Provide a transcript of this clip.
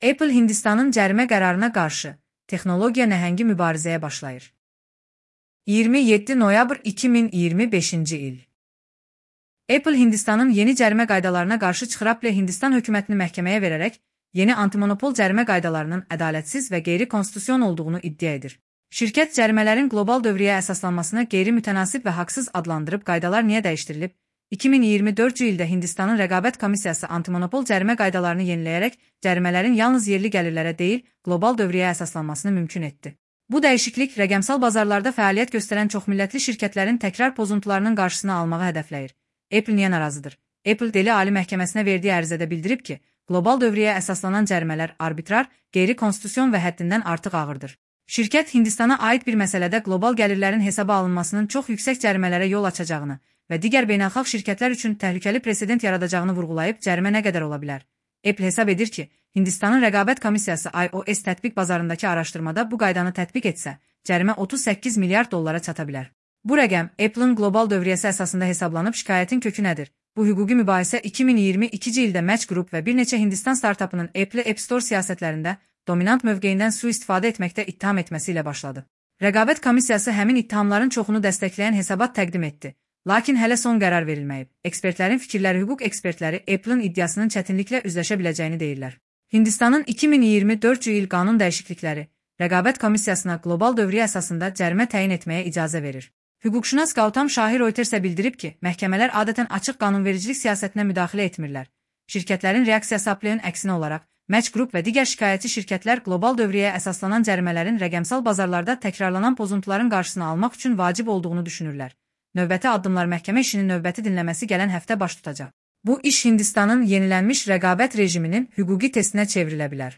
Apple Hindistanın cərimə qərarına qarşı texnologiya nəhəngi mübarizəyə başlayır. 27 noyabr 2025-ci il. Apple Hindistanın yeni cərimə qaydalarına qarşı çıxır. Apple Hindistan hökumətini məhkəməyə verərək yeni antimonopol cərimə qaydalarının ədalətsiz və qeyri-konstitusion olduğunu iddia edir. Şirkət cərimələrin qlobal dövriyyəyə əsaslanmasını qeyri-mütənasib və haqsız adlandırıb. Qaydalar niyə dəyişdirilib? 2024-cü ildə Hindistanın Rəqabət Komissiyası antimonopol cərimə qaydalarını yeniləyərək cərimələrin yalnız yerli gəlirlərə deyil, qlobal dövriyyəyə əsaslanmasını mümkün etdi. Bu dəyişiklik rəqəmsal bazarlarda fəaliyyət göstərən çoxmillətli şirkətlərin təkrar pozuntularının qarşısını almağı hədəfləyir. Apple niyə narazıdır? Apple Deli Ali Məhkəməsinə verdiyi ərizədə bildirib ki, qlobal dövriyyəyə əsaslanan cərimələr arbitrar, qeyri-konstitusion və həddindən artıq ağırdır. Şirkət Hindistana aid bir məsələdə qlobal gəlirlərin hesaba alınmasının çox yüksək cərimələrə yol açacağını və digər beynəlxalq şirkətlər üçün təhlükəli president yaradacağını vurğulayıb. Cərimə nə qədər ola bilər? Apple hesab edir ki, Hindistanın Rəqabət Komissiyası iOS tətbiq bazarındakı araşdırmada bu qaydanı tətbiq etsə, cərimə 38 milyard dollara çata bilər. Bu rəqəm Apple'ın qlobal dövriyyəsi əsasında hesablanıb. Şikayətin kökü nədir? Bu hüquqi mübahisə 2022-ci ildə Match Group və bir neçə Hindistan startapının Apple App Store siyasətlərində dominant mövqeyindən sui-istifadə etməkdə ittiham etməsi ilə başladı. Rəqabət Komissiyası həmin ittihamların çoxunu dəstəkləyən hesabat təqdim etdi. Lakin hələ son qərar verilməyib. Ekspertlərin fikirləri, hüquq ekspertləri Apple'ın iddiasının çətinliklə üzləşə biləcəyini deyirlər. Hindistanın 2024-cü il qanun dəyişiklikləri Rəqabət Komissiyasına qlobal dövriyyə əsasında cərimə təyin etməyə icazə verir. Hüquqşünas Gautam Şahi Reutersə bildirib ki, məhkəmələr adətən açıq qanunvericilik siyasətinə müdaxilə etmirlər. Şirkətlərin reaksiyası Apple'ın əksinə olaraq Match Group və digər şikayətçi şirkətlər qlobal dövriyyəyə əsaslanan cərimələrin rəqəmsal bazarlarda təkrarlanan pozuntuların qarşısını almaq üçün vacib olduğunu düşünürlər. Növbəti addımlar məhkəmə işinin növbəti dinləməsi gələn həftə baş tutacaq. Bu iş Hindistanın yenilənmiş rəqabət rejiminin hüquqi testinə çevrilə bilər.